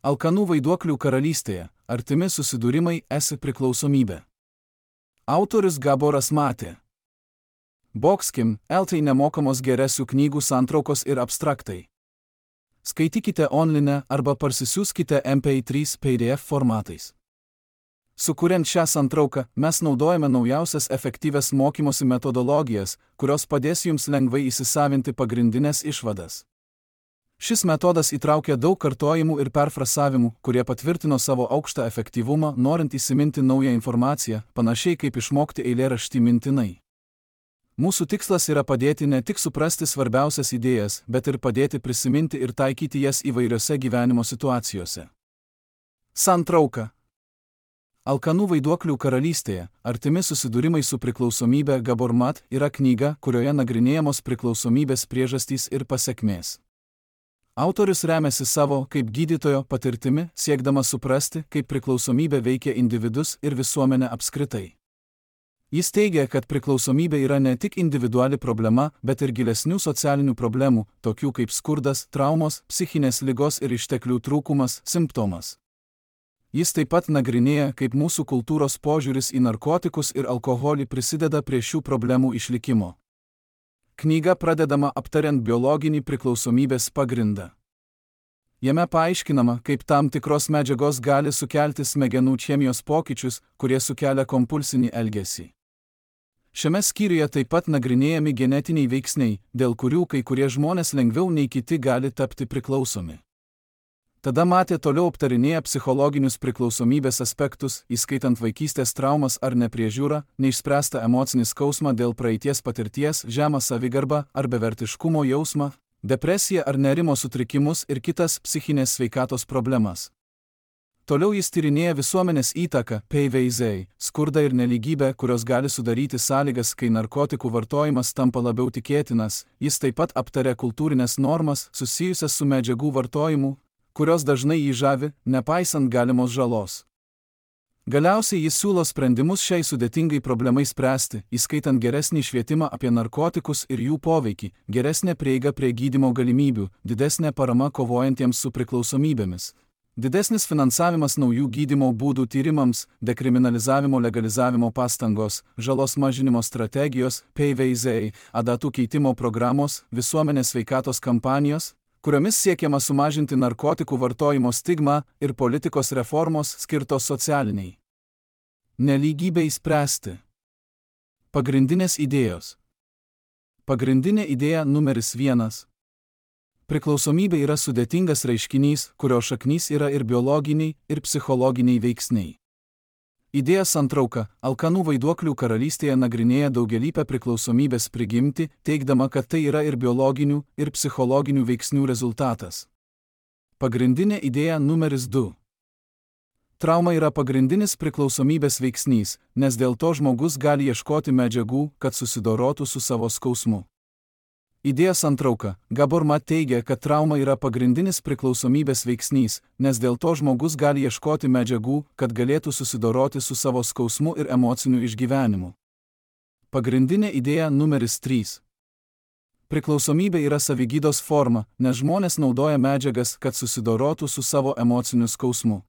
Alkanų vaiduoklių karalystėje – artimi susidūrimai esi priklausomybė. Autorius Gaboras Matė. Boxkim, LT nemokamos geresių knygų santraukos ir abstraktai. Skaitykite online arba parsisiųskite MP3 PDF formatais. Sukuriant šią santrauką, mes naudojame naujausias efektyvias mokymosi metodologijas, kurios padės jums lengvai įsisavinti pagrindinės išvadas. Šis metodas įtraukia daug kartojimų ir perfrasavimų, kurie patvirtino savo aukštą efektyvumą, norint įsiminti naują informaciją, panašiai kaip išmokti eilėraštį mintinai. Mūsų tikslas yra padėti ne tik suprasti svarbiausias idėjas, bet ir padėti prisiminti ir taikyti jas įvairiose gyvenimo situacijose. Santrauka. Alkanų vaiduoklių karalystėje – artimi susidūrimai su priklausomybė Gabor Mat yra knyga, kurioje nagrinėjamos priklausomybės priežastys ir pasekmės. Autorius remiasi savo, kaip gydytojo, patirtimi, siekdamas suprasti, kaip priklausomybė veikia individus ir visuomenę apskritai. Jis teigia, kad priklausomybė yra ne tik individuali problema, bet ir gilesnių socialinių problemų, tokių kaip skurdas, traumos, psichinės ligos ir išteklių trūkumas, simptomas. Jis taip pat nagrinėja, kaip mūsų kultūros požiūris į narkotikus ir alkoholį prisideda prie šių problemų išlikimo. Knyga pradedama aptariant biologinį priklausomybės pagrindą. Jame paaiškinama, kaip tam tikros medžiagos gali sukelti smegenų chemijos pokyčius, kurie sukelia kompulsinį elgesį. Šiame skyriuje taip pat nagrinėjami genetiniai veiksniai, dėl kurių kai kurie žmonės lengviau nei kiti gali tapti priklausomi. Tada Matė toliau aptarinėja psichologinius priklausomybės aspektus, įskaitant vaikystės traumas ar nepriežiūrą, neišspręstą emocinį skausmą dėl praeities patirties, žemą savigarbą ar bevertiškumo jausmą, depresiją ar nerimo sutrikimus ir kitas psichinės sveikatos problemas. Toliau jis tyrinėja visuomenės įtaką, PVZ, skurdą ir nelygybę, kurios gali sudaryti sąlygas, kai narkotikų vartojimas tampa labiau tikėtinas. Jis taip pat aptaria kultūrinės normas susijusias su medžiagų vartojimu, kurios dažnai jį žavi, nepaisant galimos žalos. Galiausiai jis siūlo sprendimus šiai sudėtingai problemai spręsti, įskaitant geresnį švietimą apie narkotikus ir jų poveikį, geresnę prieigą prie gydymo galimybių, didesnę paramą kovojantiems su priklausomybėmis, didesnis finansavimas naujų gydymo būdų tyrimams, dekriminalizavimo legalizavimo pastangos, žalos mažinimo strategijos, PVZ, adatų keitimo programos, visuomenės sveikatos kampanijos, kuriomis siekiama sumažinti narkotikų vartojimo stigmą ir politikos reformos skirtos socialiniai nelygybei spręsti. Pagrindinės idėjos. Pagrindinė idėja numeris 1. Priklausomybė yra sudėtingas reiškinys, kurio šaknys yra ir biologiniai, ir psichologiniai veiksniai. Idėja santrauka – Alkanų vaiduoklių karalystėje nagrinėja daugialypę priklausomybės prigimtį, teigdama, kad tai yra ir biologinių, ir psichologinių veiksnių rezultatas. Pagrindinė idėja numeris 2. Trauma yra pagrindinis priklausomybės veiksnys, nes dėl to žmogus gali ieškoti medžiagų, kad susidorotų su savo skausmu. Idėja santrauka – Gabor Mat teigia, kad trauma yra pagrindinis priklausomybės veiksnys, nes dėl to žmogus gali ieškoti medžiagų, kad galėtų susidoroti su savo skausmu ir emociniu išgyvenimu. Pagrindinė idėja numeris 3. Priklausomybė yra savigydos forma, nes žmonės naudoja medžiagas, kad susidorotų su savo emociniu skausmu.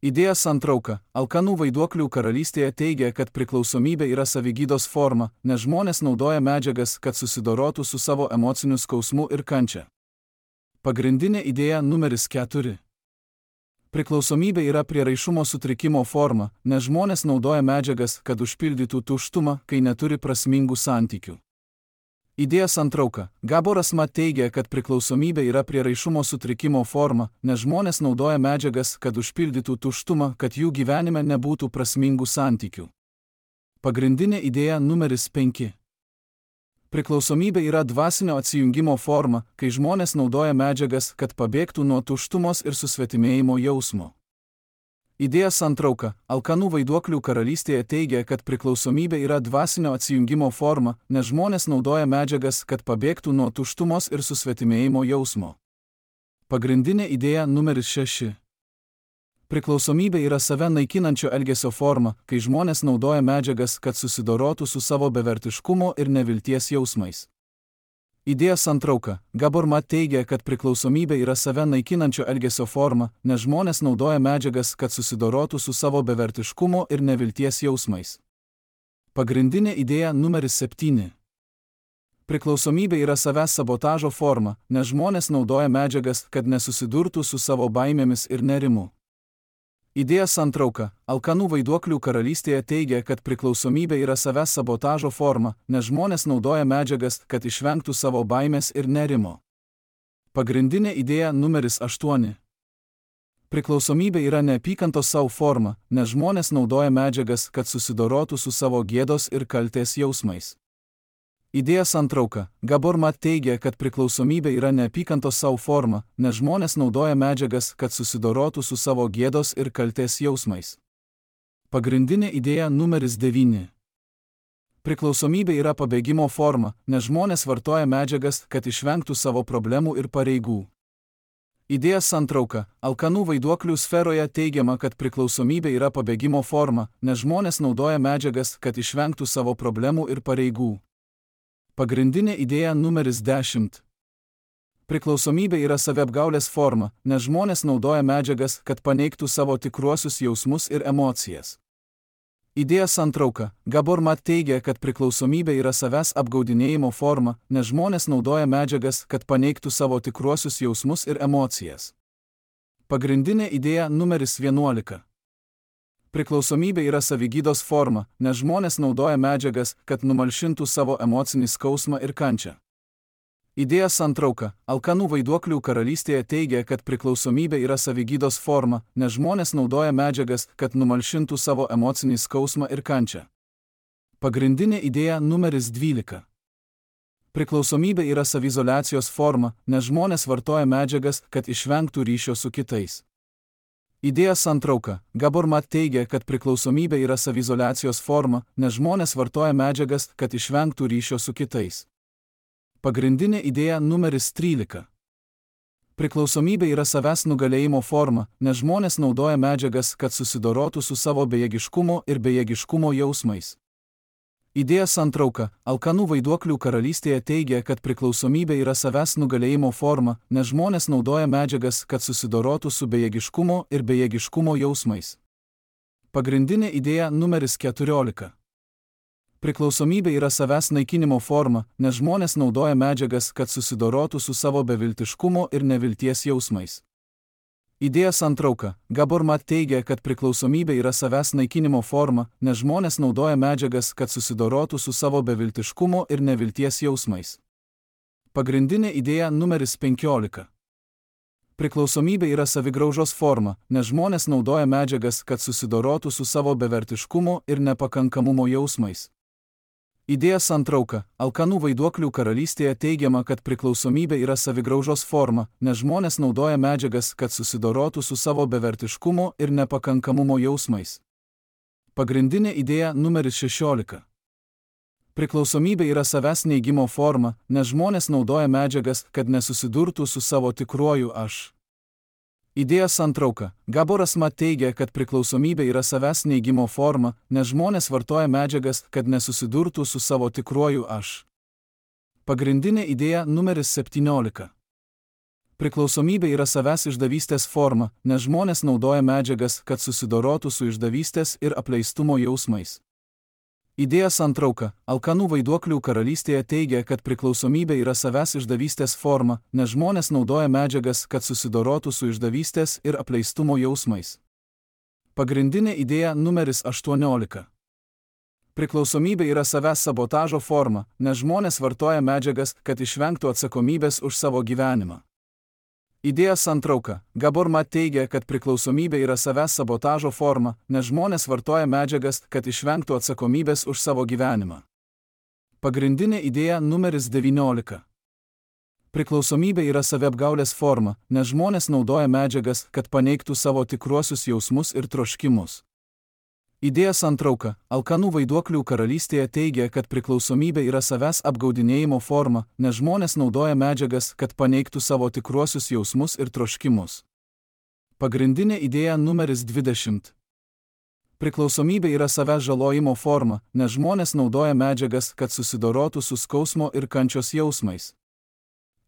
Idėja santrauka – Alkanų vaiduoklių karalystėje teigia, kad priklausomybė yra savigydos forma, nes žmonės naudoja medžiagas, kad susidorotų su savo emociniu skausmu ir kančia. Pagrindinė idėja numeris 4. Priklausomybė yra prieraišumo sutrikimo forma, nes žmonės naudoja medžiagas, kad užpildytų tuštumą, kai neturi prasmingų santykių. Idėja santrauka – Gaboras Mat teigia, kad priklausomybė yra prieraišumo sutrikimo forma, nes žmonės naudoja medžiagas, kad užpildytų tuštumą, kad jų gyvenime nebūtų prasmingų santykių. Pagrindinė idėja numeris 5. Priklausomybė yra dvasinio atsijungimo forma, kai žmonės naudoja medžiagas, kad pabėgtų nuo tuštumos ir susvetimėjimo jausmo. Idėja santrauka – Alkanų vaiduoklių karalystėje teigia, kad priklausomybė yra dvasinio atsijungimo forma, nes žmonės naudoja medžiagas, kad pabėgtų nuo tuštumos ir susvetimėjimo jausmo. Pagrindinė idėja numeris 6. Priklausomybė yra save naikinančio elgesio forma, kai žmonės naudoja medžiagas, kad susidorotų su savo bevertiškumo ir nevilties jausmais. Idėja santrauka. Gabor Mat teigia, kad priklausomybė yra save naikinančio elgesio forma, nes žmonės naudoja medžiagas, kad susidorotų su savo bevertiškumo ir nevilties jausmais. Pagrindinė idėja numeris 7. Priklausomybė yra savęs sabotažo forma, nes žmonės naudoja medžiagas, kad nesusidurtų su savo baimėmis ir nerimu. Idėja santrauka. Alkanų vaiduoklių karalystėje teigia, kad priklausomybė yra savęs sabotažo forma, nes žmonės naudoja medžiagas, kad išvengtų savo baimės ir nerimo. Pagrindinė idėja numeris 8. Priklausomybė yra neapykantos savo forma, nes žmonės naudoja medžiagas, kad susidorotų su savo gėdos ir kaltės jausmais. Idėja santrauka. Gabor Mat teigia, kad priklausomybė yra neapykantos savo forma, nes žmonės naudoja medžiagas, kad susidorotų su savo gėdos ir kaltės jausmais. Pagrindinė idėja numeris 9. Priklausomybė yra pabėgimo forma, nes žmonės vartoja medžiagas, kad išvengtų savo problemų ir pareigų. Idėja santrauka. Alkanų vaiduoklių sferoje teigiama, kad priklausomybė yra pabėgimo forma, nes žmonės naudoja medžiagas, kad išvengtų savo problemų ir pareigų. Pagrindinė idėja numeris 10. Priklausomybė yra saviapgaulės forma, nes žmonės naudoja medžiagas, kad paneigtų savo tikruosius jausmus ir emocijas. Idėja santrauka. Gabor Mat teigia, kad priklausomybė yra savęs apgaudinėjimo forma, nes žmonės naudoja medžiagas, kad paneigtų savo tikruosius jausmus ir emocijas. Pagrindinė idėja numeris 11. Priklausomybė yra savigydos forma, nes žmonės naudoja medžiagas, kad numalšintų savo emocinį skausmą ir kančią. Idėja santrauka. Alkanų vaiduoklių karalystėje teigia, kad priklausomybė yra savigydos forma, nes žmonės naudoja medžiagas, kad numalšintų savo emocinį skausmą ir kančią. Pagrindinė idėja numeris 12. Priklausomybė yra saviizoliacijos forma, nes žmonės vartoja medžiagas, kad išvengtų ryšio su kitais. Idėja santrauka. Gabor Mat teigia, kad priklausomybė yra saviizoliacijos forma, nes žmonės vartoja medžiagas, kad išvengtų ryšio su kitais. Pagrindinė idėja numeris 13. Priklausomybė yra savęs nugalėjimo forma, nes žmonės naudoja medžiagas, kad susidorotų su savo bejėgiškumo ir bejėgiškumo jausmais. Idėja santrauka. Alkanų vaiduoklių karalystėje teigia, kad priklausomybė yra savęs nugalėjimo forma, nes žmonės naudoja medžiagas, kad susidorotų su bejėgiškumo ir bejėgiškumo jausmais. Pagrindinė idėja numeris 14. Priklausomybė yra savęs naikinimo forma, nes žmonės naudoja medžiagas, kad susidorotų su savo beviltiškumo ir nevilties jausmais. Idėja santrauka. Gabor Mat teigia, kad priklausomybė yra savęs naikinimo forma, nes žmonės naudoja medžiagas, kad susidorotų su savo beviltiškumo ir nevilties jausmais. Pagrindinė idėja numeris 15. Priklausomybė yra savigraužos forma, nes žmonės naudoja medžiagas, kad susidorotų su savo bevertiškumo ir nepakankamumo jausmais. Idėja santrauka. Alkanų vaiduoklių karalystėje teigiama, kad priklausomybė yra savigraužos forma, nes žmonės naudoja medžiagas, kad susidorotų su savo bevertiškumo ir nepakankamumo jausmais. Pagrindinė idėja numeris 16. Priklausomybė yra savęs neigimo forma, nes žmonės naudoja medžiagas, kad nesusidurtų su savo tikruoju aš. Idėja santrauka. Gaboras Mat teigia, kad priklausomybė yra savęs neigimo forma, nes žmonės vartoja medžiagas, kad nesusidurtų su savo tikruoju aš. Pagrindinė idėja numeris 17. Priklausomybė yra savęs išdavystės forma, nes žmonės naudoja medžiagas, kad susidorotų su išdavystės ir apleistumo jausmais. Idėja santrauka. Alkanų vaiduoklių karalystėje teigia, kad priklausomybė yra savęs išdavystės forma, nes žmonės naudoja medžiagas, kad susidorotų su išdavystės ir apleistumo jausmais. Pagrindinė idėja numeris 18. Priklausomybė yra savęs sabotažo forma, nes žmonės vartoja medžiagas, kad išvengtų atsakomybės už savo gyvenimą. Idėja santrauka. Gabor Mat teigia, kad priklausomybė yra savęs sabotažo forma, nes žmonės vartoja medžiagas, kad išvengtų atsakomybės už savo gyvenimą. Pagrindinė idėja numeris 19. Priklausomybė yra saviapgaulės forma, nes žmonės naudoja medžiagas, kad paneigtų savo tikruosius jausmus ir troškimus. Idėja santrauka. Alkanų vaiduoklių karalystėje teigia, kad priklausomybė yra savęs apgaudinėjimo forma, nes žmonės naudoja medžiagas, kad paneigtų savo tikruosius jausmus ir troškimus. Pagrindinė idėja numeris 20. Priklausomybė yra savęs žalojimo forma, nes žmonės naudoja medžiagas, kad susidorotų su skausmo ir kančios jausmais.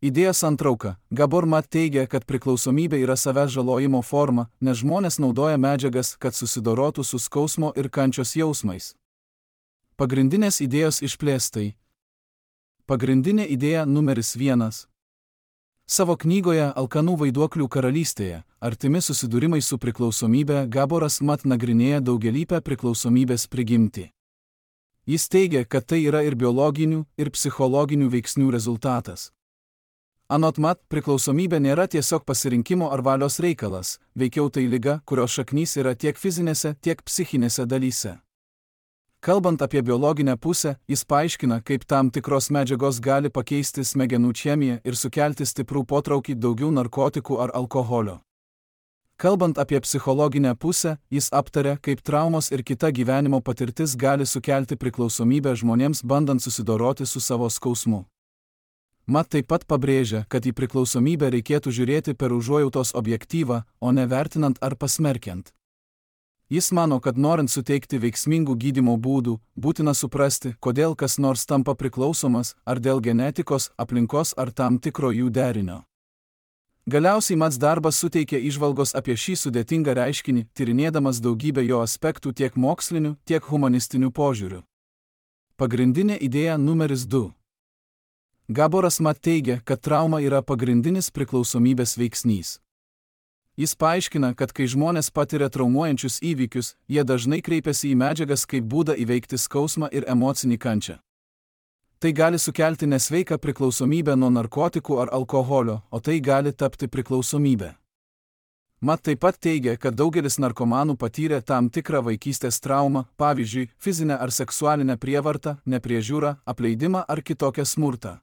Idėjos santrauka. Gabor Mat teigia, kad priklausomybė yra savęs žalojimo forma, nes žmonės naudoja medžiagas, kad susidorotų su skausmo ir kančios jausmais. Pagrindinės idėjos išplėstai. Pagrindinė idėja numeris 1. Savo knygoje Alkanų vaiduoklių karalystėje – artimi susidūrimai su priklausomybė Gaboras Mat nagrinėja daugialypę priklausomybės prigimtį. Jis teigia, kad tai yra ir biologinių, ir psichologinių veiksnių rezultatas. Anot Mat, priklausomybė nėra tiesiog pasirinkimo ar valios reikalas, veikiau tai liga, kurios šaknys yra tiek fizinėse, tiek psichinėse dalyse. Kalbant apie biologinę pusę, jis paaiškina, kaip tam tikros medžiagos gali pakeisti smegenų chemiją ir sukelti stiprų potraukį daugiau narkotikų ar alkoholio. Kalbant apie psichologinę pusę, jis aptaria, kaip traumos ir kita gyvenimo patirtis gali sukelti priklausomybę žmonėms bandant susidoroti su savo skausmu. Mat taip pat pabrėžia, kad į priklausomybę reikėtų žiūrėti per užuojautos objektyvą, o ne vertinant ar pasmerkiant. Jis mano, kad norint suteikti veiksmingų gydymo būdų, būtina suprasti, kodėl kas nors tampa priklausomas, ar dėl genetikos, aplinkos ar tam tikro jų derinio. Galiausiai Mats darbas suteikia įžvalgos apie šį sudėtingą reiškinį, tyrinėdamas daugybę jo aspektų tiek mokslinių, tiek humanistinių požiūrių. Pagrindinė idėja numeris 2. Gaboras Mat teigia, kad trauma yra pagrindinis priklausomybės veiksnys. Jis paaiškina, kad kai žmonės patiria traumuojančius įvykius, jie dažnai kreipiasi į medžiagas kaip būdą įveikti skausmą ir emocinį kančią. Tai gali sukelti nesveiką priklausomybę nuo narkotikų ar alkoholio, o tai gali tapti priklausomybė. Mat taip pat teigia, kad daugelis narkomanų patyrė tam tikrą vaikystės traumą, pavyzdžiui, fizinę ar seksualinę prievartą, nepriežiūrą, apleidimą ar kitokią smurtą.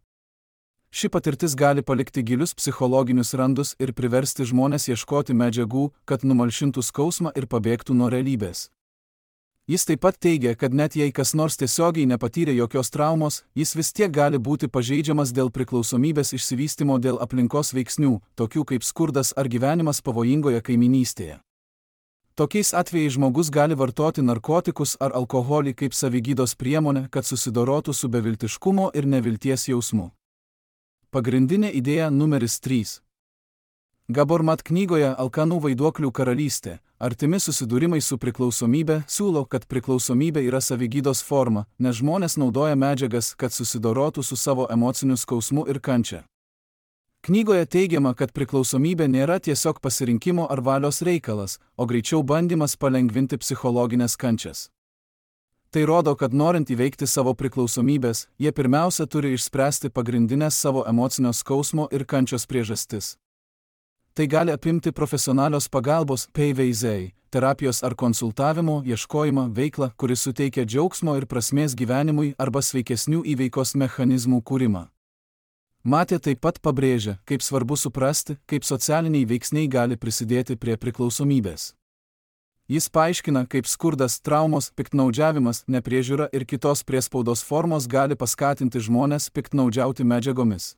Ši patirtis gali palikti gilius psichologinius randus ir priversti žmonės ieškoti medžiagų, kad numalšintų skausmą ir pabėgtų nuo realybės. Jis taip pat teigia, kad net jei kas nors tiesiogiai nepatyrė jokios traumos, jis vis tiek gali būti pažeidžiamas dėl priklausomybės išsivystymo dėl aplinkos veiksnių, tokių kaip skurdas ar gyvenimas pavojingoje kaimynystėje. Tokiais atvejais žmogus gali vartoti narkotikus ar alkoholį kaip savigydos priemonę, kad susidorotų su beviltiškumo ir nevilties jausmu. Pagrindinė idėja numeris 3. Gabor Mat knygoje Alkanų vaiduoklių karalystė – artimi susidūrimai su priklausomybė siūlo, kad priklausomybė yra savigydos forma, nes žmonės naudoja medžiagas, kad susidorotų su savo emociniu skausmu ir kančia. Knygoje teigiama, kad priklausomybė nėra tiesiog pasirinkimo ar valios reikalas, o greičiau bandymas palengvinti psichologinės kančias. Tai rodo, kad norint įveikti savo priklausomybės, jie pirmiausia turi išspręsti pagrindinės savo emocinio skausmo ir kančios priežastis. Tai gali apimti profesionalios pagalbos PVZ, terapijos ar konsultavimo, ieškojimą, veiklą, kuris suteikia džiaugsmo ir prasmės gyvenimui arba sveikesnių įveikos mechanizmų kūrimą. Matė taip pat pabrėžia, kaip svarbu suprasti, kaip socialiniai veiksniai gali prisidėti prie priklausomybės. Jis paaiškina, kaip skurdas, traumos, piktnaudžiavimas, nepriežiūra ir kitos priespaudos formos gali paskatinti žmones piktnaudžiauti medžiagomis.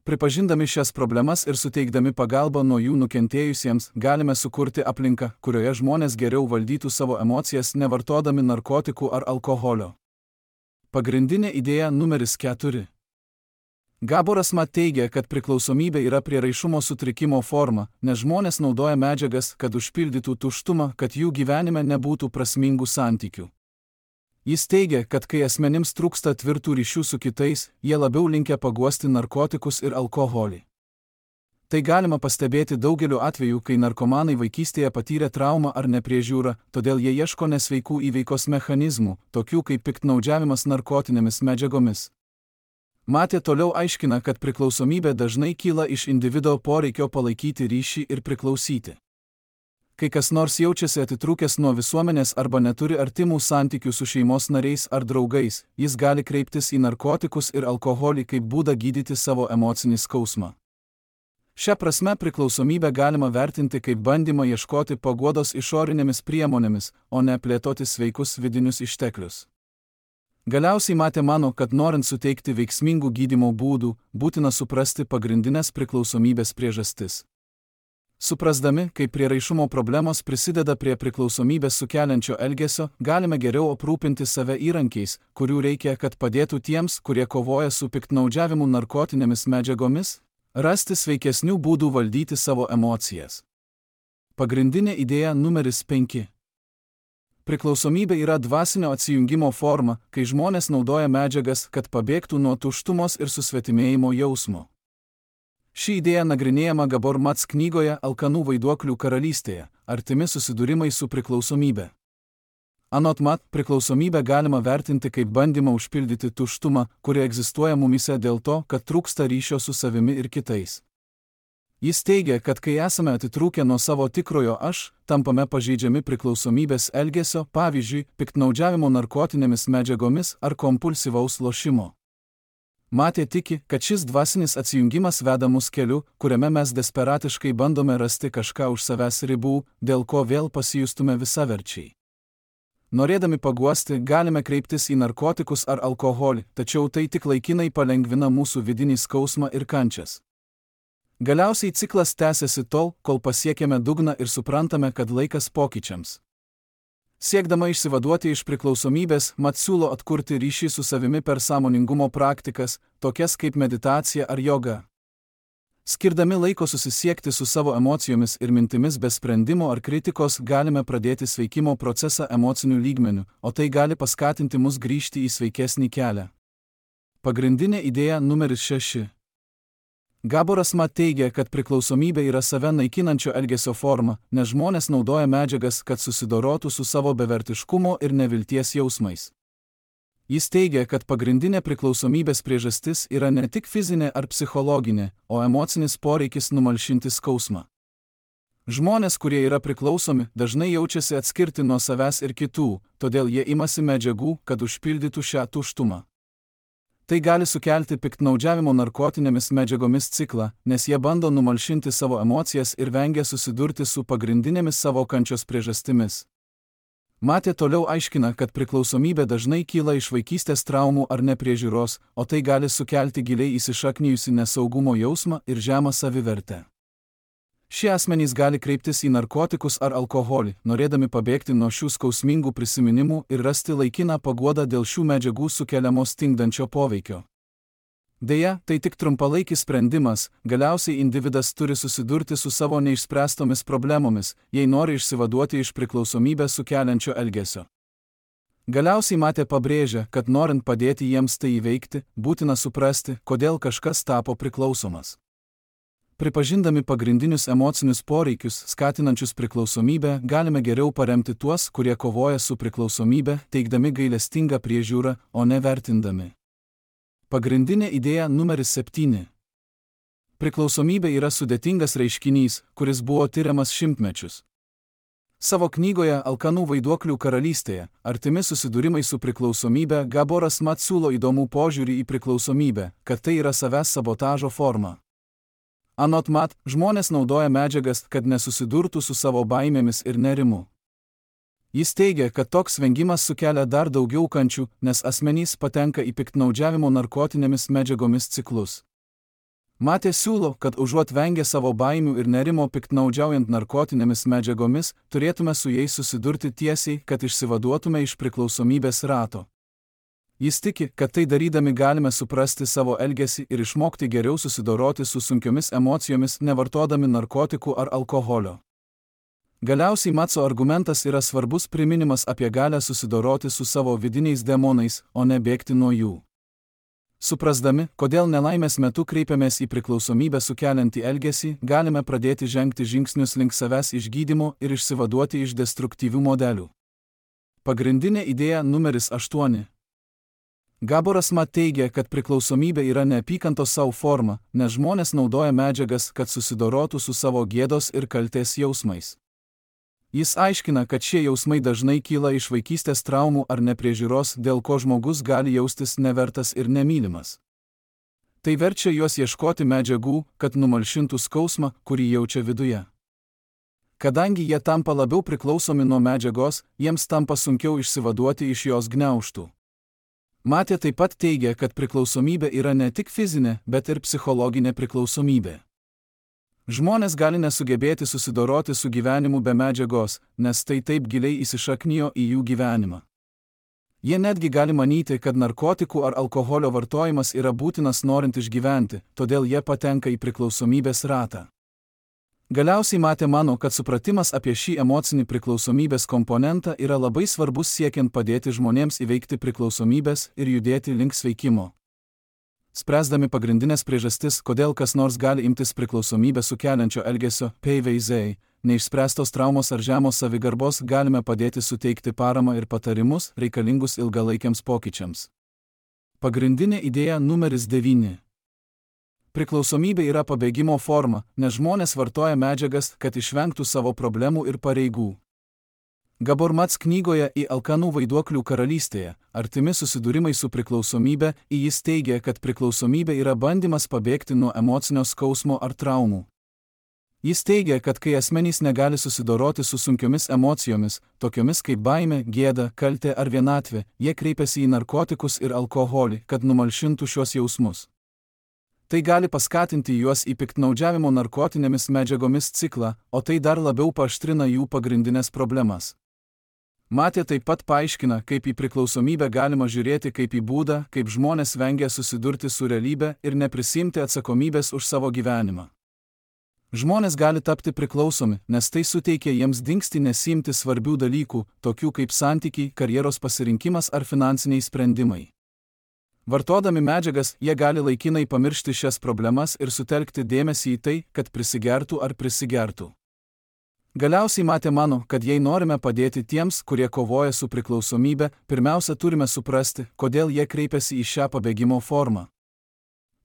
Pripažindami šias problemas ir suteikdami pagalbą nuo jų nukentėjusiems, galime sukurti aplinką, kurioje žmonės geriau valdytų savo emocijas nevartodami narkotikų ar alkoholio. Pagrindinė idėja numeris 4. Gaboras Mat teigia, kad priklausomybė yra prieraišumo sutrikimo forma, nes žmonės naudoja medžiagas, kad užpildytų tuštumą, kad jų gyvenime nebūtų prasmingų santykių. Jis teigia, kad kai asmenims trūksta tvirtų ryšių su kitais, jie labiau linkę paguosti narkotikus ir alkoholį. Tai galima pastebėti daugeliu atveju, kai narkomanai vaikystėje patyrė traumą ar nepriežiūrą, todėl jie ieško nesveikų įveikos mechanizmų, tokių kaip piktnaudžiavimas narkotinėmis medžiagomis. Matė toliau aiškina, kad priklausomybė dažnai kyla iš individo poreikio palaikyti ryšį ir priklausyti. Kai kas nors jaučiasi atitrūkęs nuo visuomenės arba neturi artimų santykių su šeimos nariais ar draugais, jis gali kreiptis į narkotikus ir alkoholį kaip būdą gydyti savo emocinį skausmą. Šia prasme priklausomybę galima vertinti kaip bandymą ieškoti paguodos išorinėmis priemonėmis, o ne plėtoti sveikus vidinius išteklius. Galiausiai Matė mano, kad norint suteikti veiksmingų gydymo būdų, būtina suprasti pagrindinės priklausomybės priežastis. Suprasdami, kaip prieraišumo problemos prisideda prie priklausomybės sukeliančio elgesio, galime geriau aprūpinti save įrankiais, kurių reikia, kad padėtų tiems, kurie kovoja su piktnaudžiavimu narkotinėmis medžiagomis, rasti sveikesnių būdų valdyti savo emocijas. Pagrindinė idėja numeris 5. Priklausomybė yra dvasinio atsijungimo forma, kai žmonės naudoja medžiagas, kad pabėgtų nuo tuštumos ir susvetimėjimo jausmo. Ši idėja nagrinėjama Gabor Mats knygoje Alkanų vaiduoklių karalystėje – artimi susidūrimai su priklausomybe. Anot Mat, priklausomybę galima vertinti kaip bandymą užpildyti tuštumą, kuri egzistuoja mumyse dėl to, kad trūksta ryšio su savimi ir kitais. Jis teigia, kad kai esame atitrūkę nuo savo tikrojo aš, tampame pažeidžiami priklausomybės elgesio, pavyzdžiui, piktnaudžiavimo narkotinėmis medžiagomis ar kompulsyvaus lošimo. Matė tiki, kad šis dvasinis atsijungimas veda mus keliu, kuriame mes desperatiškai bandome rasti kažką už savęs ribų, dėl ko vėl pasijustume visaverčiai. Norėdami paguosti, galime kreiptis į narkotikus ar alkoholį, tačiau tai tik laikinai palengvina mūsų vidinį skausmą ir kančias. Galiausiai ciklas tęsiasi tol, kol pasiekėme dugną ir suprantame, kad laikas pokyčiams. Siekdama išsivaduoti iš priklausomybės, Mat siūlo atkurti ryšį su savimi per sąmoningumo praktikas, tokias kaip meditacija ar joga. Skirdami laiko susisiekti su savo emocijomis ir mintimis be sprendimo ar kritikos, galime pradėti sveikimo procesą emociniu lygmeniu, o tai gali paskatinti mus grįžti į sveikesnį kelią. Pagrindinė idėja numeris 6. Gaboras Mat teigia, kad priklausomybė yra save naikinančio elgesio forma, nes žmonės naudoja medžiagas, kad susidorotų su savo bevertiškumo ir nevilties jausmais. Jis teigia, kad pagrindinė priklausomybės priežastis yra ne tik fizinė ar psichologinė, o emocinis poreikis numalšinti skausmą. Žmonės, kurie yra priklausomi, dažnai jaučiasi atskirti nuo savęs ir kitų, todėl jie imasi medžiagų, kad užpildytų šią tuštumą. Tai gali sukelti piktnaudžiavimo narkotinėmis medžiagomis ciklą, nes jie bando numalšinti savo emocijas ir vengia susidurti su pagrindinėmis savo kančios priežastimis. Matė toliau aiškina, kad priklausomybė dažnai kyla iš vaikystės traumų ar nepriežiūros, o tai gali sukelti giliai įsišaknijusi nesaugumo jausmą ir žemą savivertę. Šie asmenys gali kreiptis į narkotikus ar alkoholį, norėdami pabėgti nuo šių skausmingų prisiminimų ir rasti laikiną paguodą dėl šių medžiagų sukeliamo stingdančio poveikio. Deja, tai tik trumpalaikis sprendimas, galiausiai individas turi susidurti su savo neišspręstomis problemomis, jei nori išsivaduoti iš priklausomybę sukeliančio elgesio. Galiausiai Matė pabrėžia, kad norint padėti jiems tai įveikti, būtina suprasti, kodėl kažkas tapo priklausomas. Pripažindami pagrindinius emocinius poreikius, skatinančius priklausomybę, galime geriau paremti tuos, kurie kovoja su priklausomybė, teikdami gailestingą priežiūrą, o ne vertindami. Pagrindinė idėja numeris 7. Priklausomybė yra sudėtingas reiškinys, kuris buvo tiriamas šimtmečius. Savo knygoje Alkanų vaiduoklių karalystėje – artimi susidūrimai su priklausomybė, Gaboras Mat siūlo įdomų požiūrį į priklausomybę, kad tai yra savęs sabotažo forma. Anot Mat, žmonės naudoja medžiagas, kad nesusidurtų su savo baimėmis ir nerimu. Jis teigia, kad toks vengimas sukelia dar daugiau kančių, nes asmenys patenka į piktnaudžiavimo narkotinėmis medžiagomis ciklus. Matė siūlo, kad užuot vengę savo baimių ir nerimo piktnaudžiaujant narkotinėmis medžiagomis, turėtume su jais susidurti tiesiai, kad išsivaduotume iš priklausomybės rato. Jis tiki, kad tai darydami galime suprasti savo elgesį ir išmokti geriau susidoroti su sunkiomis emocijomis, nevartodami narkotikų ar alkoholio. Galiausiai Matso argumentas yra svarbus priminimas apie galę susidoroti su savo vidiniais demonais, o ne bėgti nuo jų. Suprasdami, kodėl nelaimės metu kreipiamės į priklausomybę sukeliantį elgesį, galime pradėti žengti žingsnius link savęs išgydymo ir išsivaduoti iš destruktyvių modelių. Pagrindinė idėja numeris 8. Gaboras Mat teigia, kad priklausomybė yra neapykantos savo forma, nes žmonės naudoja medžiagas, kad susidorotų su savo gėdos ir kaltės jausmais. Jis aiškina, kad šie jausmai dažnai kyla iš vaikystės traumų ar nepriežiūros, dėl ko žmogus gali jaustis nevertas ir nemylimas. Tai verčia juos ieškoti medžiagų, kad numalšintų skausmą, kurį jaučia viduje. Kadangi jie tampa labiau priklausomi nuo medžiagos, jiems tampa sunkiau išsivaduoti iš jos gniaužtų. Matė taip pat teigia, kad priklausomybė yra ne tik fizinė, bet ir psichologinė priklausomybė. Žmonės gali nesugebėti susidoroti su gyvenimu be medžiagos, nes tai taip giliai įsišaknijo į jų gyvenimą. Jie netgi gali manyti, kad narkotikų ar alkoholio vartojimas yra būtinas norint išgyventi, todėl jie patenka į priklausomybės ratą. Galiausiai Matė mano, kad supratimas apie šį emocinį priklausomybės komponentą yra labai svarbus siekiant padėti žmonėms įveikti priklausomybės ir judėti link sveikimo. Spręsdami pagrindinės priežastis, kodėl kas nors gali imtis priklausomybę sukeliančio elgesio, PVZ, neišspręstos traumos ar žemos savigarbos, galime padėti suteikti paramą ir patarimus reikalingus ilgalaikiams pokyčiams. Pagrindinė idėja numeris 9. Priklausomybė yra pabėgimo forma, nes žmonės vartoja medžiagas, kad išvengtų savo problemų ir pareigų. Gabor Mats knygoje Į alkanų vaiduoklių karalystėje, artimi susidūrimai su priklausomybė, jis teigia, kad priklausomybė yra bandymas pabėgti nuo emocinio skausmo ar traumų. Jis teigia, kad kai asmenys negali susidoroti su sunkiomis emocijomis, tokiomis kaip baimė, gėda, kaltė ar vienatvė, jie kreipiasi į narkotikus ir alkoholį, kad numalšintų šios jausmus. Tai gali paskatinti juos į piktnaudžiavimo narkotinėmis medžiagomis ciklą, o tai dar labiau paaštrina jų pagrindinės problemas. Matė taip pat paaiškina, kaip į priklausomybę galima žiūrėti kaip į būdą, kaip žmonės vengia susidurti su realybe ir neprisimti atsakomybės už savo gyvenimą. Žmonės gali tapti priklausomi, nes tai suteikia jiems dingsti nesiimti svarbių dalykų, tokių kaip santykiai, karjeros pasirinkimas ar finansiniai sprendimai. Vartodami medžiagas, jie gali laikinai pamiršti šias problemas ir sutelkti dėmesį į tai, kad prisigertų ar prisigertų. Galiausiai Matė mano, kad jei norime padėti tiems, kurie kovoja su priklausomybe, pirmiausia turime suprasti, kodėl jie kreipiasi į šią pabėgimo formą.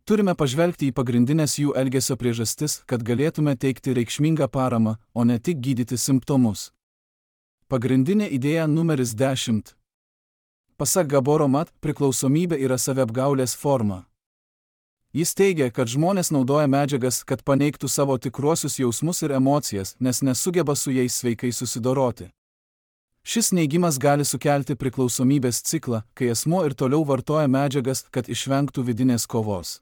Turime pažvelgti į pagrindinės jų elgesio priežastis, kad galėtume teikti reikšmingą paramą, o ne tik gydyti simptomus. Pagrindinė idėja numeris 10. Pasak Gaboro Mat, priklausomybė yra saviapgaulės forma. Jis teigia, kad žmonės naudoja medžiagas, kad paneigtų savo tikruosius jausmus ir emocijas, nes nesugeba su jais sveikai susidoroti. Šis neigimas gali sukelti priklausomybės ciklą, kai asmuo ir toliau vartoja medžiagas, kad išvengtų vidinės kovos.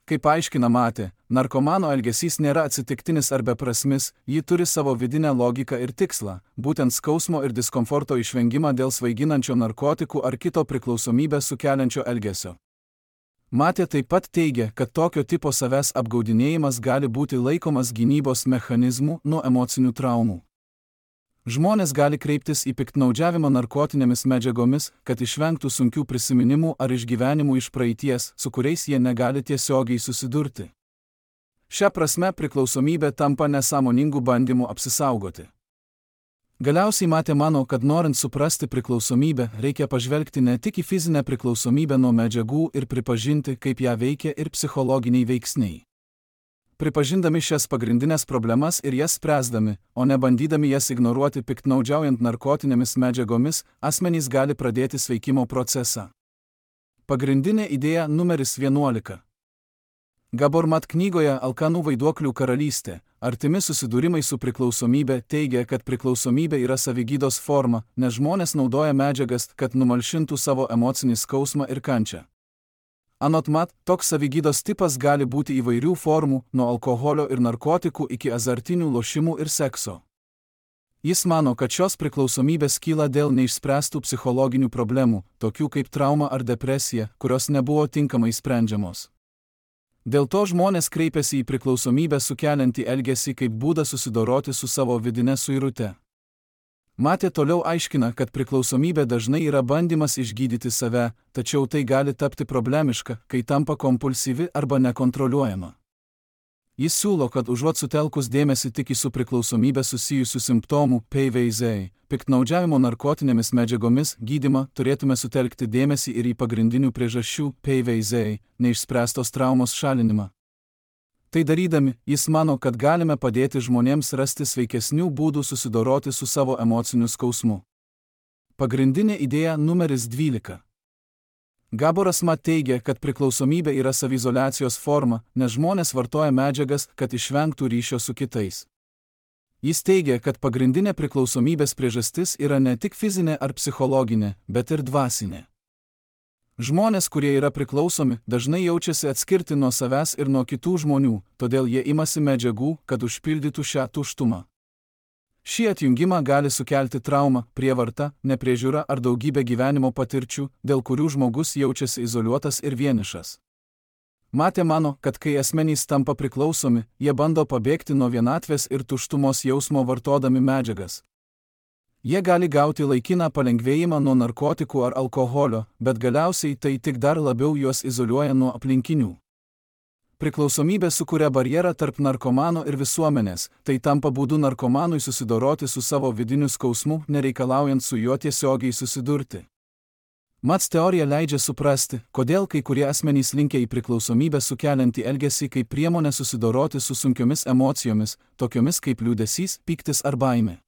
Kaip aiškina Matė, narkomano elgesys nėra atsitiktinis ar beprasmis, ji turi savo vidinę logiką ir tikslą, būtent skausmo ir diskomforto išvengimą dėl svaiginančio narkotikų ar kito priklausomybę sukeliančio elgesio. Matė taip pat teigia, kad tokio tipo savęs apgaudinėjimas gali būti laikomas gynybos mechanizmu nuo emocinių traumų. Žmonės gali kreiptis į piktnaudžiavimą narkotinėmis medžiagomis, kad išvengtų sunkių prisiminimų ar išgyvenimų iš praeities, su kuriais jie negali tiesiogiai susidurti. Šia prasme priklausomybė tampa nesąmoningų bandymų apsisaugoti. Galiausiai Matė mano, kad norint suprasti priklausomybę, reikia pažvelgti ne tik į fizinę priklausomybę nuo medžiagų ir pripažinti, kaip ją veikia ir psichologiniai veiksniai. Pripažindami šias pagrindinės problemas ir jas spręsdami, o ne bandydami jas ignoruoti piktnaudžiaujant narkotinėmis medžiagomis, asmenys gali pradėti sveikimo procesą. Pagrindinė idėja numeris 11. Gabor Mat knygoje Alkanų vaiduoklių karalystė, artimi susidūrimai su priklausomybė teigia, kad priklausomybė yra savigydos forma, nes žmonės naudoja medžiagas, kad numalšintų savo emocinį skausmą ir kančią. Anot Mat, toks savigydos tipas gali būti įvairių formų, nuo alkoholio ir narkotikų iki azartinių lošimų ir sekso. Jis mano, kad šios priklausomybės kyla dėl neišspręstų psichologinių problemų, tokių kaip trauma ar depresija, kurios nebuvo tinkamai sprendžiamos. Dėl to žmonės kreipiasi į priklausomybę sukeliantį elgesį kaip būdą susidoroti su savo vidine suirute. Matė toliau aiškina, kad priklausomybė dažnai yra bandymas išgydyti save, tačiau tai gali tapti problemiška, kai tampa kompulsyvi arba nekontroliuojama. Jis siūlo, kad užuot sutelkus dėmesį tik į su priklausomybė susijusių simptomų, PVZ, piktnaudžiavimo narkotinėmis medžiagomis, gydymą, turėtume sutelkti dėmesį ir į pagrindinių priežasčių, PVZ, neišspręstos traumos šalinimą. Tai darydami, jis mano, kad galime padėti žmonėms rasti sveikesnių būdų susidoroti su savo emociniu skausmu. Pagrindinė idėja numeris 12. Gaboras Mat teigia, kad priklausomybė yra saviizoliacijos forma, nes žmonės vartoja medžiagas, kad išvengtų ryšio su kitais. Jis teigia, kad pagrindinė priklausomybės priežastis yra ne tik fizinė ar psichologinė, bet ir dvasinė. Žmonės, kurie yra priklausomi, dažnai jaučiasi atskirti nuo savęs ir nuo kitų žmonių, todėl jie imasi medžiagų, kad užpildytų šią tuštumą. Šį atjungimą gali sukelti traumą, prievartą, nepriežiūrą ar daugybę gyvenimo patirčių, dėl kurių žmogus jaučiasi izoliuotas ir vienišas. Matė mano, kad kai asmenys tampa priklausomi, jie bando pabėgti nuo vienatvės ir tuštumos jausmo vartodami medžiagas. Jie gali gauti laikiną palengvėjimą nuo narkotikų ar alkoholio, bet galiausiai tai tik dar labiau juos izoliuoja nuo aplinkinių. Priklausomybė sukuria barjerą tarp narkomano ir visuomenės, tai tampa būdu narkomanui susidoroti su savo vidiniu skausmu, nereikalaujant su juo tiesiogiai susidurti. Mats teorija leidžia suprasti, kodėl kai kurie asmenys linkę į priklausomybę sukeliantį elgesį kaip priemonę susidoroti su sunkiomis emocijomis, tokiomis kaip liūdesys, pyktis ar baimė.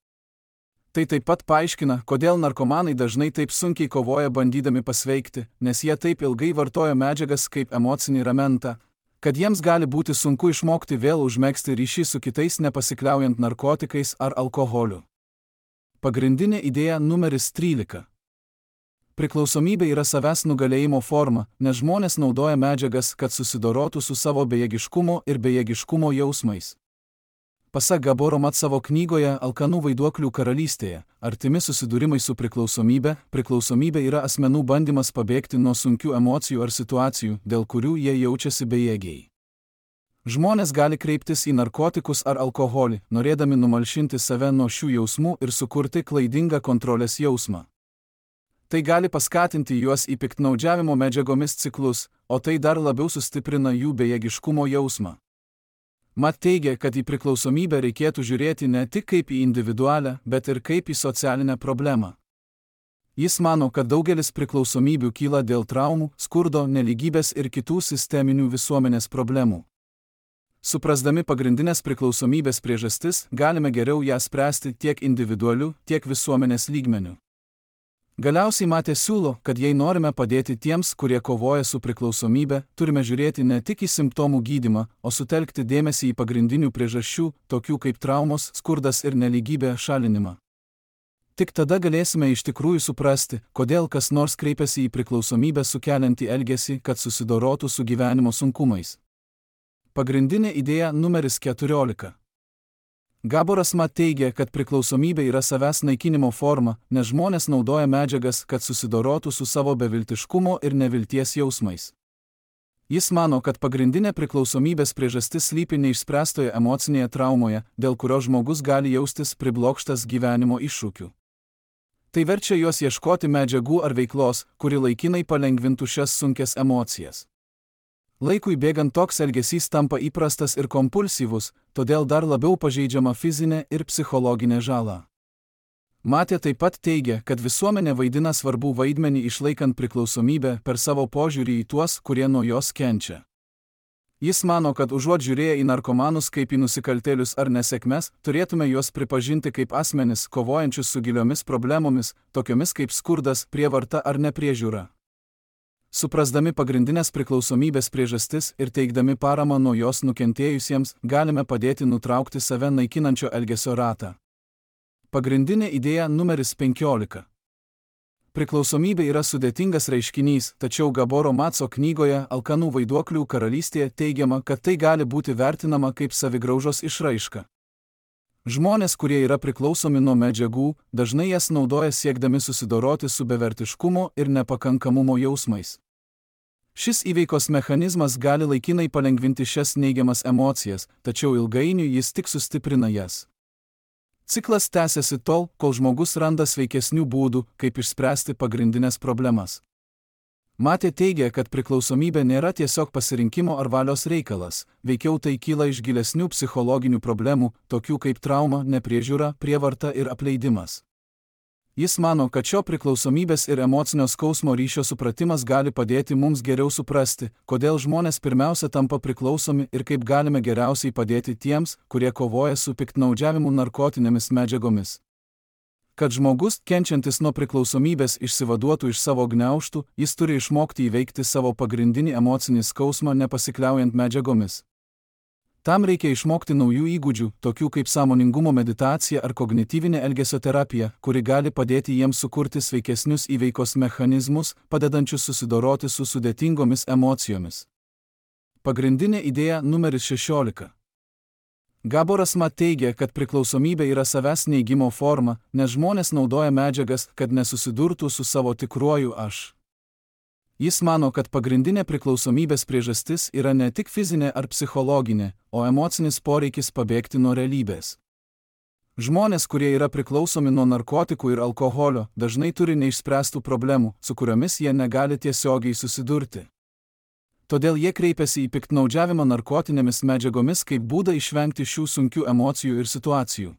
Tai taip pat paaiškina, kodėl narkomanai dažnai taip sunkiai kovoja bandydami pasveikti, nes jie taip ilgai vartoja medžiagas kaip emocinį ramentą, kad jiems gali būti sunku išmokti vėl užmegzti ryšį su kitais nepasikliaujant narkotikais ar alkoholiu. Pagrindinė idėja numeris 13. Priklausomybė yra savęs nugalėjimo forma, nes žmonės naudoja medžiagas, kad susidorotų su savo bejėgiškumo ir bejėgiškumo jausmais. Pasak Gaboro Mat savo knygoje Alkanų vaiduoklių karalystėje, artimi susidūrimai su priklausomybė, priklausomybė yra asmenų bandymas pabėgti nuo sunkių emocijų ar situacijų, dėl kurių jie jaučiasi bejėgiai. Žmonės gali kreiptis į narkotikus ar alkoholį, norėdami numalšinti save nuo šių jausmų ir sukurti klaidingą kontrolės jausmą. Tai gali paskatinti juos į piktnaudžiavimo medžiagomis ciklus, o tai dar labiau sustiprina jų bejėgiškumo jausmą. Mat teigia, kad į priklausomybę reikėtų žiūrėti ne tik kaip į individualią, bet ir kaip į socialinę problemą. Jis mano, kad daugelis priklausomybių kyla dėl traumų, skurdo, nelygybės ir kitų sisteminių visuomenės problemų. Suprasdami pagrindinės priklausomybės priežastis, galime geriau ją spręsti tiek individualiu, tiek visuomenės lygmeniu. Galiausiai Matė siūlo, kad jei norime padėti tiems, kurie kovoja su priklausomybė, turime žiūrėti ne tik į simptomų gydymą, o sutelkti dėmesį į pagrindinių priežasčių, tokių kaip traumos, skurdas ir nelygybė šalinimą. Tik tada galėsime iš tikrųjų suprasti, kodėl kas nors kreipiasi į priklausomybę sukeliantį elgesį, kad susidorotų su gyvenimo sunkumais. Pagrindinė idėja numeris 14. Gaboras Mat teigia, kad priklausomybė yra savęs naikinimo forma, nes žmonės naudoja medžiagas, kad susidorotų su savo beviltiškumo ir nevilties jausmais. Jis mano, kad pagrindinė priklausomybės priežastis slypi neišspręstoje emocinėje traumoje, dėl kurio žmogus gali jaustis priblokštas gyvenimo iššūkių. Tai verčia juos ieškoti medžiagų ar veiklos, kuri laikinai palengvintų šias sunkias emocijas. Laikui bėgant toks elgesys tampa įprastas ir kompulsyvus, todėl dar labiau pažeidžiama fizinė ir psichologinė žala. Matė taip pat teigia, kad visuomenė vaidina svarbų vaidmenį išlaikant priklausomybę per savo požiūrį į tuos, kurie nuo jos kenčia. Jis mano, kad užuot žiūrėję į narkomanus kaip į nusikaltėlius ar nesėkmes, turėtume juos pripažinti kaip asmenis, kovojančius su giliomis problemomis, tokiomis kaip skurdas, prievarta ar nepriežiūra. Suprasdami pagrindinės priklausomybės priežastis ir teikdami paramą nuo jos nukentėjusiems, galime padėti nutraukti save naikinančio elgesio ratą. Pagrindinė idėja numeris 15. Priklausomybė yra sudėtingas reiškinys, tačiau Gaboro Matso knygoje Alkanų vaiduoklių karalystėje teigiama, kad tai gali būti vertinama kaip savigraužos išraiška. Žmonės, kurie yra priklausomi nuo medžiagų, dažnai jas naudoja siekdami susidoroti su bevertiškumo ir nepakankamumo jausmais. Šis įveikos mechanizmas gali laikinai palengvinti šias neigiamas emocijas, tačiau ilgainiui jis tik sustiprina jas. Ciklas tęsiasi tol, kol žmogus randa sveikesnių būdų, kaip išspręsti pagrindinės problemas. Matė teigia, kad priklausomybė nėra tiesiog pasirinkimo ar valios reikalas, veikiau tai kyla iš gilesnių psichologinių problemų, tokių kaip trauma, nepriežiūra, prievarta ir apleidimas. Jis mano, kad šio priklausomybės ir emocinio skausmo ryšio supratimas gali padėti mums geriau suprasti, kodėl žmonės pirmiausia tampa priklausomi ir kaip galime geriausiai padėti tiems, kurie kovoja su piktnaudžiavimu narkotinėmis medžiagomis. Kad žmogus, kenčiantis nuo priklausomybės, išsivaduotų iš savo gniaužtų, jis turi išmokti įveikti savo pagrindinį emocinį skausmą nepasikliaujant medžiagomis. Tam reikia išmokti naujų įgūdžių, tokių kaip sąmoningumo meditacija ar kognityvinė elgesio terapija, kuri gali padėti jiems sukurti sveikesnius įveikos mechanizmus, padedančius susidoroti su sudėtingomis emocijomis. Pagrindinė idėja numeris 16. Gaboras Mat teigia, kad priklausomybė yra savęs neigimo forma, nes žmonės naudoja medžiagas, kad nesusidurtų su savo tikruoju aš. Jis mano, kad pagrindinė priklausomybės priežastis yra ne tik fizinė ar psichologinė, o emocinis poreikis pabėgti nuo realybės. Žmonės, kurie yra priklausomi nuo narkotikų ir alkoholio, dažnai turi neišspręstų problemų, su kuriomis jie negali tiesiogiai susidurti. Todėl jie kreipiasi į piktnaudžiavimą narkotinėmis medžiagomis kaip būdą išvengti šių sunkių emocijų ir situacijų.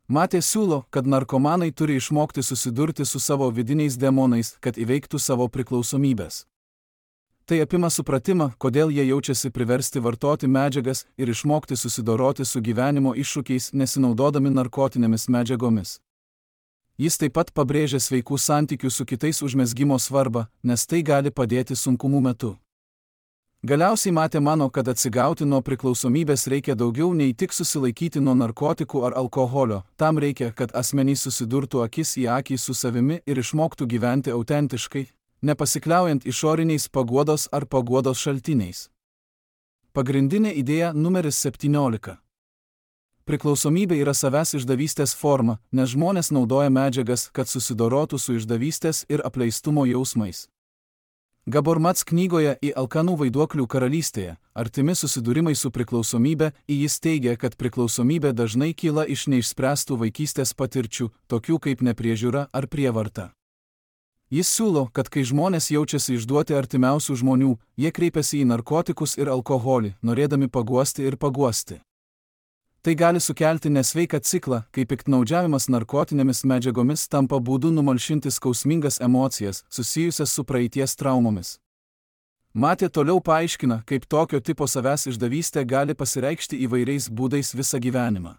Matė siūlo, kad narkomanai turi išmokti susidurti su savo vidiniais demonais, kad įveiktų savo priklausomybės. Tai apima supratimą, kodėl jie jaučiasi priversti vartoti medžiagas ir išmokti susidoroti su gyvenimo iššūkiais nesinaudodami narkotinėmis medžiagomis. Jis taip pat pabrėžia sveikų santykių su kitais užmezgimo svarbą, nes tai gali padėti sunkumų metu. Galiausiai Matė mano, kad atsigauti nuo priklausomybės reikia daugiau nei tik susilaikyti nuo narkotikų ar alkoholio, tam reikia, kad asmenys susidurtų akis į akį su savimi ir išmoktų gyventi autentiškai, nepasikliaujant išoriniais paguodos ar paguodos šaltiniais. Pagrindinė idėja numeris 17. Priklausomybė yra savęs išdavystės forma, nes žmonės naudoja medžiagas, kad susidorotų su išdavystės ir apleistumo jausmais. Gabor Mats knygoje Į alkanų vaiduoklių karalystėje, artimi susidūrimai su priklausomybė, jis teigia, kad priklausomybė dažnai kyla iš neišspręstų vaikystės patirčių, tokių kaip nepriežiūra ar prievarta. Jis siūlo, kad kai žmonės jaučiasi išduoti artimiausių žmonių, jie kreipiasi į narkotikus ir alkoholį, norėdami paguosti ir paguosti. Tai gali sukelti nesveiką ciklą, kai piktnaudžiavimas narkotinėmis medžiagomis tampa būdu numalšinti skausmingas emocijas, susijusias su praeities traumomis. Matė toliau paaiškina, kaip tokio tipo savęs išdavystė gali pasireikšti įvairiais būdais visą gyvenimą.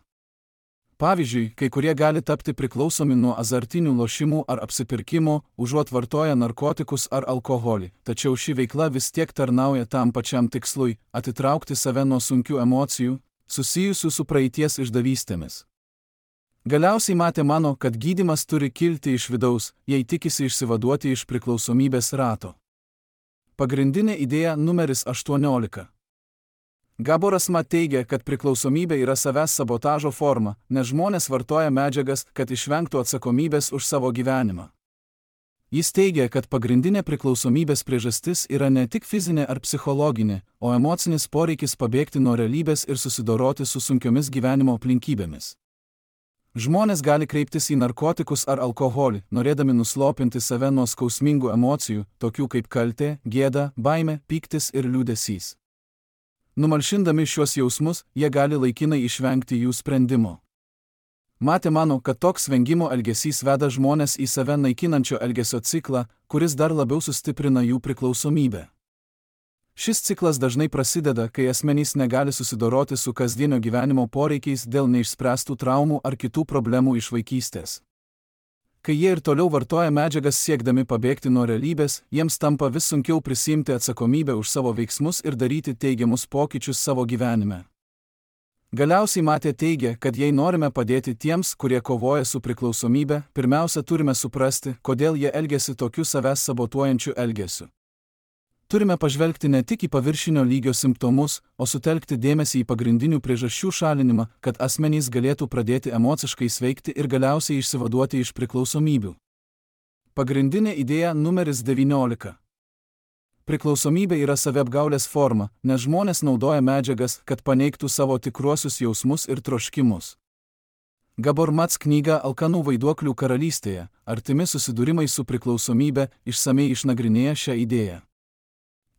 Pavyzdžiui, kai kurie gali tapti priklausomi nuo azartinių lošimų ar apsipirkimo, užuot vartoję narkotikus ar alkoholį, tačiau ši veikla vis tiek tarnauja tam pačiam tikslui – atitraukti save nuo sunkių emocijų, susijusių su praeities išdavystėmis. Galiausiai Matė mano, kad gydymas turi kilti iš vidaus, jei tikisi išsivaduoti iš priklausomybės rato. Pagrindinė idėja numeris 18. Gaboras Mat teigia, kad priklausomybė yra savęs sabotažo forma, nes žmonės vartoja medžiagas, kad išvengtų atsakomybės už savo gyvenimą. Jis teigia, kad pagrindinė priklausomybės priežastis yra ne tik fizinė ar psichologinė, o emocinis poreikis pabėgti nuo realybės ir susidoroti su sunkiomis gyvenimo aplinkybėmis. Žmonės gali kreiptis į narkotikus ar alkoholį, norėdami nuslopinti save nuo skausmingų emocijų, tokių kaip kaltė, gėda, baimė, pyktis ir liūdesys. Numalšindami šiuos jausmus, jie gali laikinai išvengti jų sprendimo. Matė mano, kad toks vengimo elgesys veda žmonės į save naikinančio elgesio ciklą, kuris dar labiau sustiprina jų priklausomybę. Šis ciklas dažnai prasideda, kai asmenys negali susidoroti su kasdienio gyvenimo poreikiais dėl neišspręstų traumų ar kitų problemų iš vaikystės. Kai jie ir toliau vartoja medžiagas siekdami pabėgti nuo realybės, jiems tampa vis sunkiau prisiimti atsakomybę už savo veiksmus ir daryti teigiamus pokyčius savo gyvenime. Galiausiai Matė teigia, kad jei norime padėti tiems, kurie kovoja su priklausomybe, pirmiausia turime suprasti, kodėl jie elgiasi tokiu savęs sabotuojančiu elgesiu. Turime pažvelgti ne tik į paviršinio lygio simptomus, o sutelkti dėmesį į pagrindinių priežasčių šalinimą, kad asmenys galėtų pradėti emociškai sveikti ir galiausiai išsivaduoti iš priklausomybių. Pagrindinė idėja numeris 19. Priklausomybė yra saviapgaulės forma, nes žmonės naudoja medžiagas, kad paneigtų savo tikruosius jausmus ir troškimus. Gabor Mats knyga Alkanų vaiduoklių karalystėje, artimi susidūrimai su priklausomybe, išsamiai išnagrinėja šią idėją.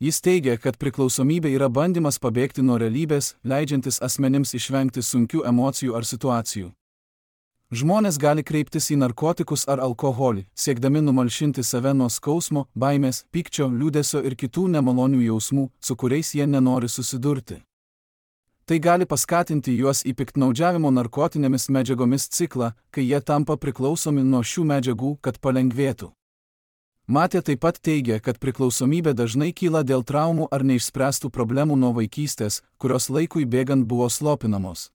Jis teigia, kad priklausomybė yra bandymas pabėgti nuo realybės, leidžiantis asmenims išvengti sunkių emocijų ar situacijų. Žmonės gali kreiptis į narkotikus ar alkoholį, siekdami numalšinti save nuo skausmo, baimės, pykčio, liūdesio ir kitų nemalonių jausmų, su kuriais jie nenori susidurti. Tai gali paskatinti juos į piktnaudžiavimo narkotinėmis medžiagomis ciklą, kai jie tampa priklausomi nuo šių medžiagų, kad palengvėtų. Matė taip pat teigia, kad priklausomybė dažnai kyla dėl traumų ar neišspręstų problemų nuo vaikystės, kurios laikui bėgant buvo slopinamos.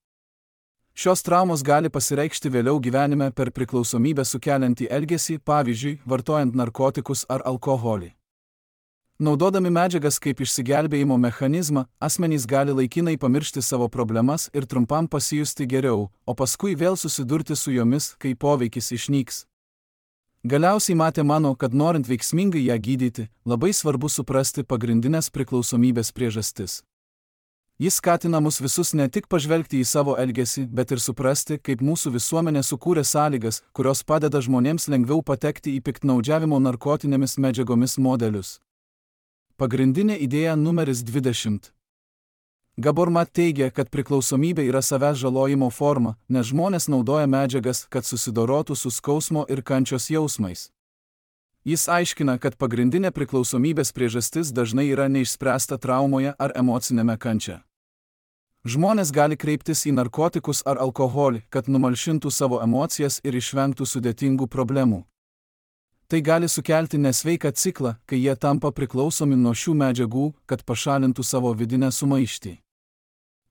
Šios traumos gali pasireikšti vėliau gyvenime per priklausomybę sukeliantį elgesį, pavyzdžiui, vartojant narkotikus ar alkoholį. Naudodami medžiagas kaip išsigelbėjimo mechanizmą, asmenys gali laikinai pamiršti savo problemas ir trumpam pasijusti geriau, o paskui vėl susidurti su jomis, kai poveikis išnyks. Galiausiai Matė mano, kad norint veiksmingai ją gydyti, labai svarbu suprasti pagrindinės priklausomybės priežastis. Jis skatina mus visus ne tik pažvelgti į savo elgesį, bet ir suprasti, kaip mūsų visuomenė sukūrė sąlygas, kurios padeda žmonėms lengviau patekti į piktnaudžiavimo narkotinėmis medžiagomis modelius. Pagrindinė idėja numeris 20. Gabor Mat teigia, kad priklausomybė yra savęs žalojimo forma, nes žmonės naudoja medžiagas, kad susidorotų su skausmo ir kančios jausmais. Jis aiškina, kad pagrindinė priklausomybės priežastis dažnai yra neišspręsta traumoje ar emocinėme kančia. Žmonės gali kreiptis į narkotikus ar alkoholį, kad numalšintų savo emocijas ir išvengtų sudėtingų problemų. Tai gali sukelti nesveiką ciklą, kai jie tampa priklausomi nuo šių medžiagų, kad pašalintų savo vidinę sumaištį.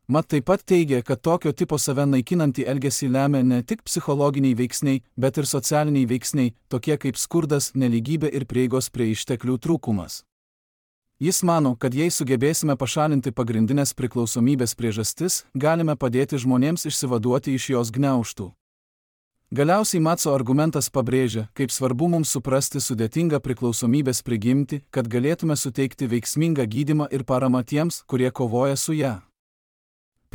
Mat taip pat teigia, kad tokio tipo save naikinantį elgesį lemia ne tik psichologiniai veiksniai, bet ir socialiniai veiksniai, tokie kaip skurdas, nelygybė ir prieigos prie išteklių trūkumas. Jis mano, kad jei sugebėsime pašalinti pagrindinės priklausomybės priežastis, galime padėti žmonėms išsivaduoti iš jos gniaužtų. Galiausiai Matso argumentas pabrėžia, kaip svarbu mums suprasti sudėtingą priklausomybės prigimtį, kad galėtume suteikti veiksmingą gydymą ir paramą tiems, kurie kovoja su ją.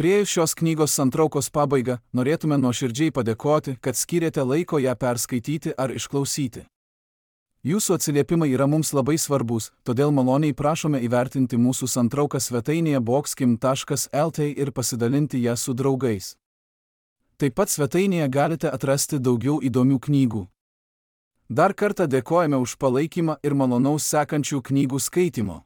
Priėjus šios knygos santraukos pabaigą, norėtume nuoširdžiai padėkoti, kad skyrėte laiko ją perskaityti ar išklausyti. Jūsų atsiliepimai yra mums labai svarbus, todėl maloniai prašome įvertinti mūsų santrauką svetainėje boxkim.lt ir pasidalinti ją su draugais. Taip pat svetainėje galite atrasti daugiau įdomių knygų. Dar kartą dėkojame už palaikymą ir malonaus sekančių knygų skaitimo.